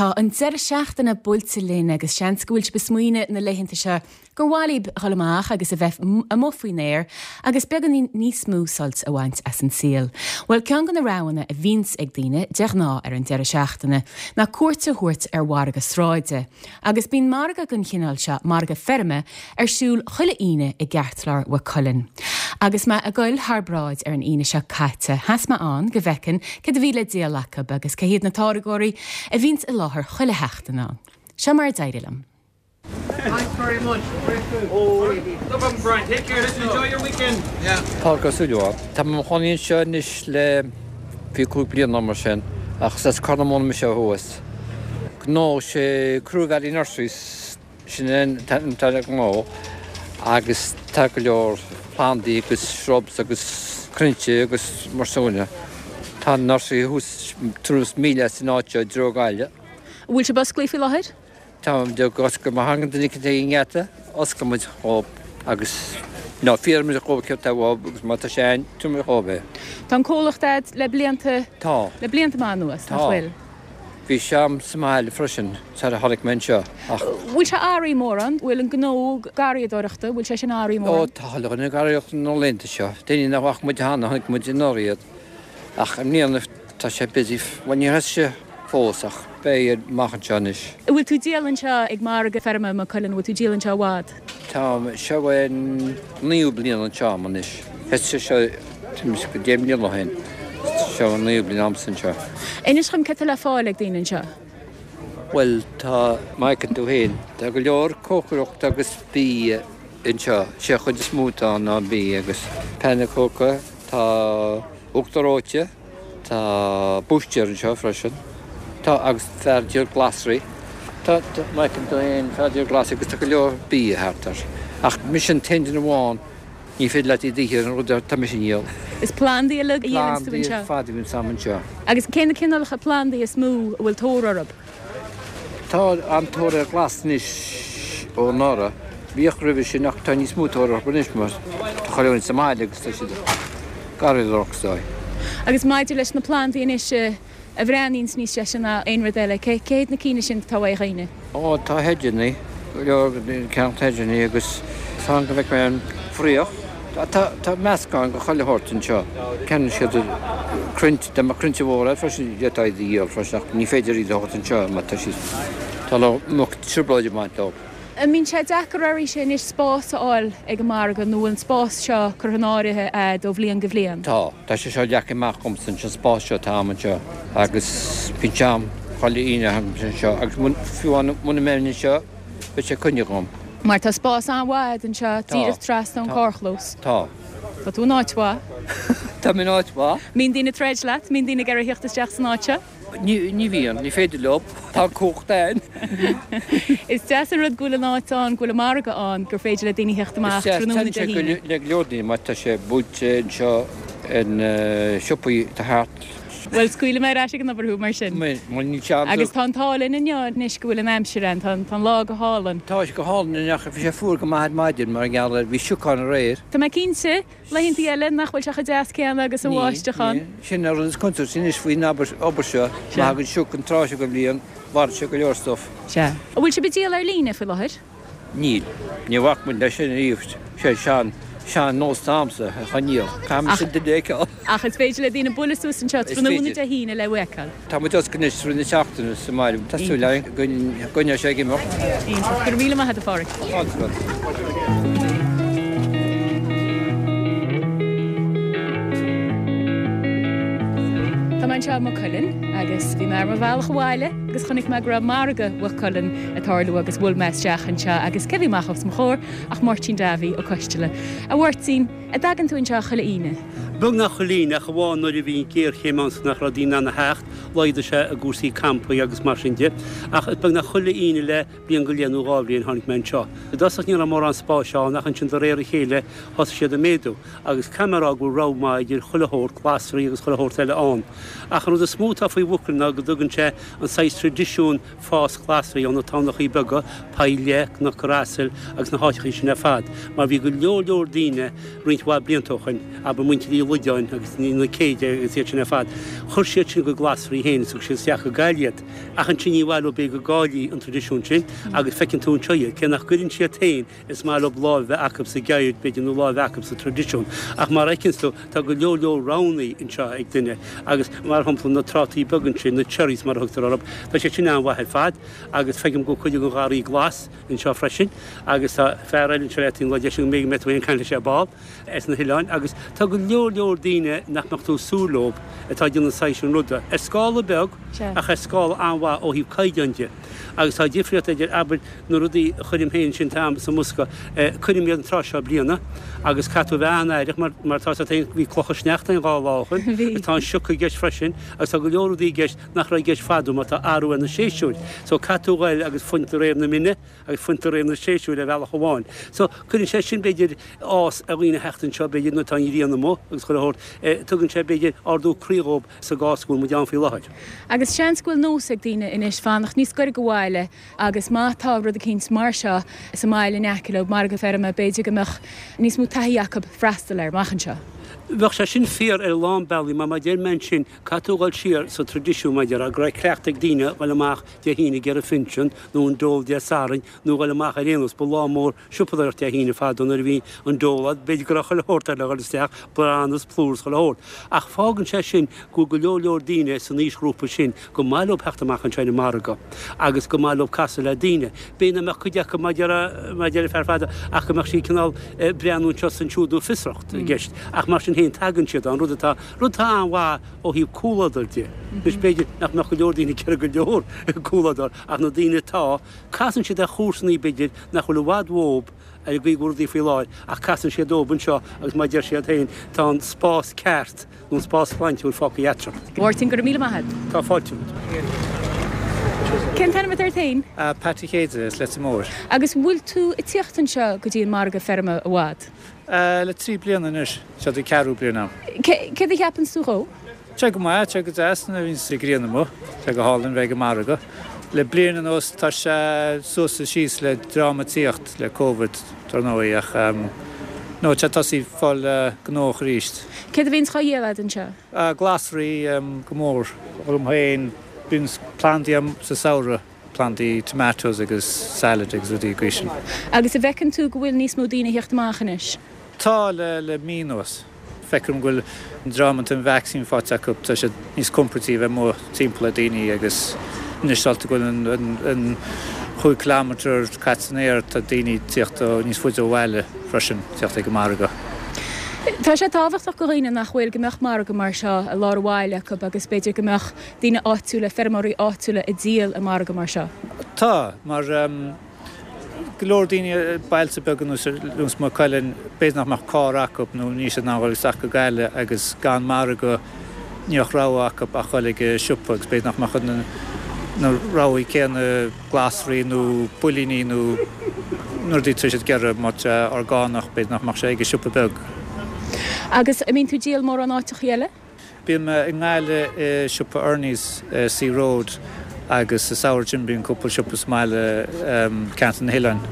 Tá an deireadh seachtaine buailte linn agus seans go bhfuil sibh ag smaoineamh na laethanta seo gur mhaith libh dhul amach agus a bheith amuigh faoin aer agus beagáinín níos mó sult a bhaint as an saol. Bhuel, ceann de na roghanna a bhíonns ag daoine de ghnáth ar an deireadh seachtaine ná cuairt a thabhairt ar mhargadh sráide. Agus bíonn margadh den chineál seo, margadh feirme, ar siúl chuile Aoine i gceartlár Mhaigh Cuilinn. Agus mé ag goil thar bráid ar an Aoine seo caite, sheas mé ann go bhfeicfinn céard a bhí le díol acu agus cé hiad na táirgeoirí a bhíonns i láthair chuile sheachtain ann. Seo mar a d'éirigh liom. Thanks very much. Great food. No problem Brian. Take care. Listen, enjoy your weekend. Yeah. Pádraig Ó Súilleabháin. Tá mé i mo chónaí anseo anois le 25 bliain nó mar sin, ach is as Corr na Móna mise ó thuas. Gnó sé Crew Valley Nurseries, sin an t-ainm atá ar an ngnó, agus tá go leor plandaí agus shrubs agus crainnte agus mar sin de. Tá an nursery thuas tuairim is míle as an áit seo i dtreo Gaillimh. An bhfuil sibh osclaí faoi láthair? Tá muid ag oscailt, má thagann duine eicínt ag an ngeata, osclaíonn muid dhób agus nó fiafraíonn muid dhób céard atá uathub agus má tá sé ann, tabharfaidh muid dhób é. Tá an comhlacht a'd le blianta, Tá. le blianta maith anuas, nach Tá. bhfuil? Bhí sé a'm sa mbaile freisin sar a tháinig mé anseo ach. Bhfuil sé athraithe mórán? Bhfuil an gnó garraíodóireachta, bhfuil sé sin athraithe Ó, mórán? tá chuile dhuine ag garraíocht na laethanta seo. Daoine nach bhfaca muid cheana, chonaic muid anuraidh iad. Ach i mbliana tá sé busy, bhuel níor thosaigh sé fós ach beidh amach anseo anois. An bhfuil tú ag díol anseo ag margadh feirme Maigh Cuilinn, an bhfuil tú ag díol anseo i bhfad? Tá, seo é an naoú bliain anseo a'm anois. Thosaigh sé seo tuairim is 10 mbliana ó shin. Seo an naoú bliain a'msa anseo. Inis dhom céard tá le fáil ag daoine anseo. Bhuel tá, mar a fheiceann tú féin, tá go leor cócaireachta agus bia anseo. Sé an chuid is mó atá ann ná bia agus pannkaka, tá uachtar reoite, Tá búistéir anseo freisin. Tá, agus fear ag díol glasraí. Tá, tá, má fheiceann tú féin, fear ag díol glasraí agus tá go leor bia thart air. Ach mise an t-aon duine amháin, ní féidir leat iad a ithe an rud atá mise a dhíol. Is plandaí uilig a dhíolanns tú Plandaí anseo? ar fad a bhíonns a'm anseo. Agus cé na cineálacha plandaí is mó a bhfuil tóir orthu? Tá an-tóir ar ghlas anois ó anuraidh. Bhíodh roimhe sin ach tá níos mó tóir orthu anois mar tá chuile dhuine sa mbaile agus tá siad ag garraíodóireacht is dóigh. Agus maidir leis na plandaí anois a bhreathnaíonns níos deise ná aon rud eile, cé hiad na cinn sin atá uaidh dhaoine? Ó tá hedgeanna, go leor ag ceannacht hedgeanna agus fan go bhfeicfidh mé an fraoch. Tá tá meascán de chuile shórt anseo. Ceannaíonn siad crainnte, dá mbeadh crainnte mhóra freisin d'fhéadfá iad a dhíol freisin ach ní féidir iad a thabhairt anseo mar tá siad, tá mbeadh trioblóid ag baint leo. An mbíonn sé deacair oraibhse anois spás a fháil ag an margadh nó bhfuil an spás seo curtha in áirithe a'd ó bhliain go bhliain? Tá. Tá sé seo leagtha amach agamsa anseo, an spás seo atá a'm anseo agus bíonn sé a'm chuile Aoine a thagaimse anseo agus fiú muna mbeinn anseo, Beidh sé coinnithe agam. Mar tá spás an-mhaith a'd anseo, díreach trasna ón carrchlós. Tá. Tá tú in áit mhaith. Tá mé in áit mhaith. Mbíonn daoine ag troid leat? Mbíonn daoine ag iarraidh theacht isteach san áit seo? Ní bhíonn, ní féidir leo. Tá an cumhacht a'inn. Is deas an rud go bhfuil an áit ann, go bhfuil an margadh ann, gur féidir le daoine theacht amach tráthnóna Dé Is deas, hAoine. le go leor daoine, mar tá sé buailte anseo in siopaí atá thart. Bhuel, scaoilfidh mé ar ais ag an obair thú mar sin. Bhuel, níl sé ann. Agus tá an t-ádh linn inniu anois go bhfuil an aimsir ann, tá an lá go hálainn. Tá sé go hálainn inniu ach bhí sé fuar go maith ar maidin mar gheall ar, bhí sioc ann aréir. Tá mé cinnte, laethanta eile, nach bhfuil sé chomh deas céanna agus an bháisteach ann. Níl, níl. Sin an rud is contúirtí anois faoin obair seo, má thagann sioc an tráth seo den bhliain, mharaigh sé go leor stuff. Sea. An bhfuil sibh ag díol ar líne faoi láthair? Níl. Ní bhac muid leis sin ariamh. Sé sean, sean nós a'msa a choinneáil. Caithfidh mise an duine a fheiceáil. Ach is féidir le daoine bualadh suas anseo tráthnóna Dé hAoine le thú a fheiceáil. Tá muid oscailte anois i rith na seachtaine sa mbaile. Tá súil againn go gcoinneoidh sé ag imeacht. Iontach. Go raibh míle maith agat a Pháraic. Tá fáilte romhat. Tá mé anseo i Maigh Cuilinn agus bhí mé ar mo bhealach abhaile agus chonaic mé go raibh margadh Mhaigh Cuilinn ag tarlú agus bhuail mé isteach anseo agus cé bhí amach os mo chomhair ach Máirtín Davy Ó Coisteala. A Mháirtín, an dtagann tú anseo chuile Aoine? Beagnach chuile Aoine, ach amháin nuair a bhí an ghéarchéim ann 's nach raibh daoine in ann a theacht, laghdaigh sé i gcúrsaí campaí agus mar sin de. Ach beagnach chuile Aoine le bliain go leith nó dhá bhliain tháinig mé anseo. I dtosach ní raibh mórán spáis ann ach ansin de réir a chéile thosaigh siad ag méadú agus caithfidh mé a rá go bhfuil rogha maith idir chuile shórt glasraí agus chuile shórt eile ann. Ach an rud is mó atá faoi Mhaigh Cuilinn ná go dtugann sé an saghas traidisiún fás glasraí ó na tamhnachaí beaga, Poill Liath, Cnoc an Asail agus na háiteachaí sin ar fad, mar bhí go leor leor daoine roinnt. roinnt mhaith blianta ó shoin, abair muintir Uí Loideáin agus na Céide agus iad sin ar fad, chuir siad sin a gcuid glasraí féin is thug siad isteach go Gaillimh iad. Ach ansin ní mhaith leo b'fhéidir go gcaillfí an traidisiún sin agus feiceann tú anseo iad, cé nach gcuireann siad féin, is maith leo lámh a bheith acu sa gceird b'fhéidir nó lámh a bheith acu sa traidisiún. Ach mar a fheiceanns tú, tá go leor leor roghanna anseo ag duine agus mar shampla na trátaí beaga ansin, na cherries mar a thugtar orthu, tá siad sin an-mhaith ar fad agus feicim go bhfuil cuid den gharraí glas anseo freisin agus tá fear eile anseo leat an lá deis go mbeidh tú ag caint leis ar ball as na hoileáin agus tá go leor leor daoine nach mbeadh tú ag súil leo atá ag déanamh an saghas sin ruda ar scála beag ach ar scála an-mhaith ó thaobh caighdeáin de agus tá difríocht idir abair na rudaí a chuirim féin sin atá sa mbosca cuirim iad an tráth seo bliana agus caithfidh tú a bheith an-aireach mar mar tá a fhios agat féin bhí clocha sneachta ann dhá lá ó shin agus tá an sioc i gceist freisin agus tá go leor rudaí i gceist nach raibh i gceist fadó mar tá athrú ar na séasúir. So caithfidh tú ghoil agus fuint de réir na mine agus fuint de réir na séasúir ar bhealach amháin. So cuireann sé sin b'fhéidir áthas ar dhaoine theacht anseo b'fhéidir nuair atá an ghrian amuigh agus chuile shórt. Tugann sé b'fhéidir ardú croí dhóibh sa gcás go bhfuil muid ann faoi láthair. Agus seans go bhfuil nós ag daoine anois fanacht níos gaire go bhaile agus má tá rud eicínt mar seo sa mbaile in aice leo, margadh feirme, b'fhéidir go mbeadh níos mó taithí acu freastal air amach anseo. Bheadh sé sin fíor ar a lán bealaí mar mar a deir mé ansin, Caithfidh tú dhul siar sa traidisiún mar a déarfá, go raibh cleachtadh ag daoine dhul amach Dé hAoine ag iarraidh phinsean nó an dole Dé Sathairn nó dhul amach ar aon nós. Ba lá mór siopadóireachta Dé hAoine fadó nuair a bhí an dole ann. B'fhéidir go raibh chuile shórt air le dhul isteach, bran is plúr is chuile shórt. Ach fágann sé sin go bhfuil go leor leor daoine san aoisghrúpa sin go maith leo theacht amach anseo ar an margadh agus go maith leo casadh le daoine. B'fhéidir nach mbeadh cuid acu mar a deir an fear fada ach go mbeadh siad cineál breathnú anseo is ansiúd nó fiosracht i gceist. Ach mar sin féin tagann siad ann, rud atá Rud atá an-mhaith ó thaobh comhluadair de. Anois b'fhéidir nach mbeadh go leor daoine ag iarraidh go leor comhluadar ach na daoine atá, casann siad ar chomharsanaí b'fhéidir nach bhfuil i bhfad uathu ar an gcaoi go bhfuil rudaí faoi láthair ach casann siad dóibh anseo agus mar a deir siad féin tá an spás ceart nó an spás sláintiúil fágtha eatarthu. Mháirtín, go raibh míle maith agat. Tá fáilte romhat. Cén t-ainm atá ort féin? Pat Uí Chéide, as Leitir Móir. Agus bhfuil tú ag tíocht anseo go dtí an margadh feirme i bhfad? Le 3 bliana anois. Seo an ceathrú bliain agam. Céard a cheapanns tú dhó? Tá sé go maith, tá sé go deas nuair a bhíonns an ghrian amuigh. Tá sé go hálainn bheith ag an margadh. Le bliain anuas tá sé suas is síos le drámatíocht le Covid dar ndóigh ach no tá sé tosaithe fáil gnóthach arís. Céard a bhíonns dhá dhíol agat anseo? Glasraí go mór. Dhom féin bíonn plandaí agam sa samhradh. plandaí tomatoes agus salad agus rudaí gcaoi sin. Agus an bhfeiceann tú go bhfuil níos mó daoine a theacht amach anois? Tá, le le mí anuas. Feicim go bhfuil an dream atá an vacsaín faighte acu, tá siad níos compordaí a bheith amuigh timpeall le daoine agus anois dálta go bhfuil an an an chúig kilometre caite san aer, tá daoine ag tíocht ó níos faide ó bhaile freisin, tíocht ag an margadh. Tá sé tábhachtach go dhaoine nach bhfuil go mbeadh margadh mar seo i lár an bhaile acu agus b'fhéidir go mbeadh daoine áitiúla, feirmeoirí áitiúla ag díol i margadh mar seo? Tá, mar go leor daoine i bailte beaga nós Maigh Cuilinn, b'fhéidir nach mbeadh carr acu nó níl siad in ann dhul isteach go Gaillimh agus gan margadh ní bheadh rogha acu ach dhul ag siopa agus b'fhéidir nach mbeadh na roghaí céanna glasraí nó builíní nó na rudaí atá siad ag iarraidh má tá sé orgánach b'fhéidir nach mbeadh sé ag an siopa beag. Agus an mbíonn tú ag díol mórán áiteachaí eile? Bíonn mé i nGaillimh i siopa Ernie's i Sea Road agus sa samhradh sin bíonn cúpla siopa sa mbaile ceantar na hOileáin,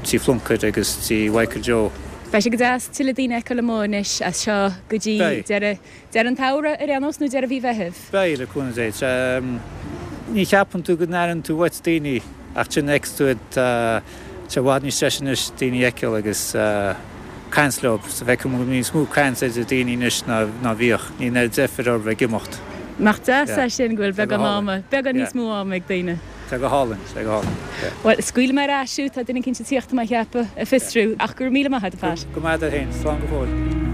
Tí Phluincéid agus Tí Mhichael Joe. Beidh sé go deas tuilleadh daoine a fheiceáil amuigh anois as seo go dtí deireadh deireadh an tsamhraidh ar aon nós nó deireadh mhí Mheithimh. Beidh, le cúnamh Dé. Ní cheapann tú go n-airíonn tú uait daoine ach ansin fheiceann tú iad, tá sé i bhfad níos deise anois daoine a fheiceáil agus. caint leo. So feicim go bhfuil níos mó caint idir daoine anois ná bhíodh. Níl an oiread deifir orthu bheith ag imeacht. Nach deas é sin go bhfuil beagán ama, beagán níos mó ama ag daoine. Tá go hálainn, tá go hálainn. Bhuel, scaoilfidh mé ar ais thú, tá duine eicínt ag tíocht tá mé a cheapadh, ag fiosrú, ach go raibh míle maith agat, a Pat. Go maith duit féin, slán go fóill.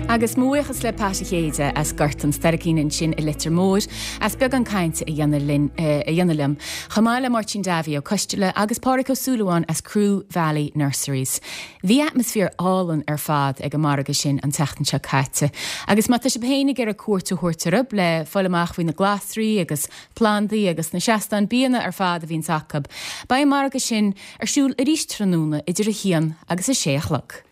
Agus mo bhuíochas le Pat a' Chéide as Gort an Staircín ansin i Leitir Móir as beagán cainte a dhéanamh linn, a dhéanamh liom, chomh maith le Máirtín Davy ó Coisteala agus Pádraic Ó Súilleabháin as Crew Valley Nurseries. Bhí atmaisféar álainn ar fad ag an margadh sin an tseachtain seo caite agus má tá sibh féin ag iarraidh cuairt a thabhairt orthu le fáil amach faoi na glasraí agus plandaí agus na seastáin bianna ar fad a bhíonns acu, beidh an margadh sin ar siúl arís tráthnóna idir a haon agus a sé a chlog.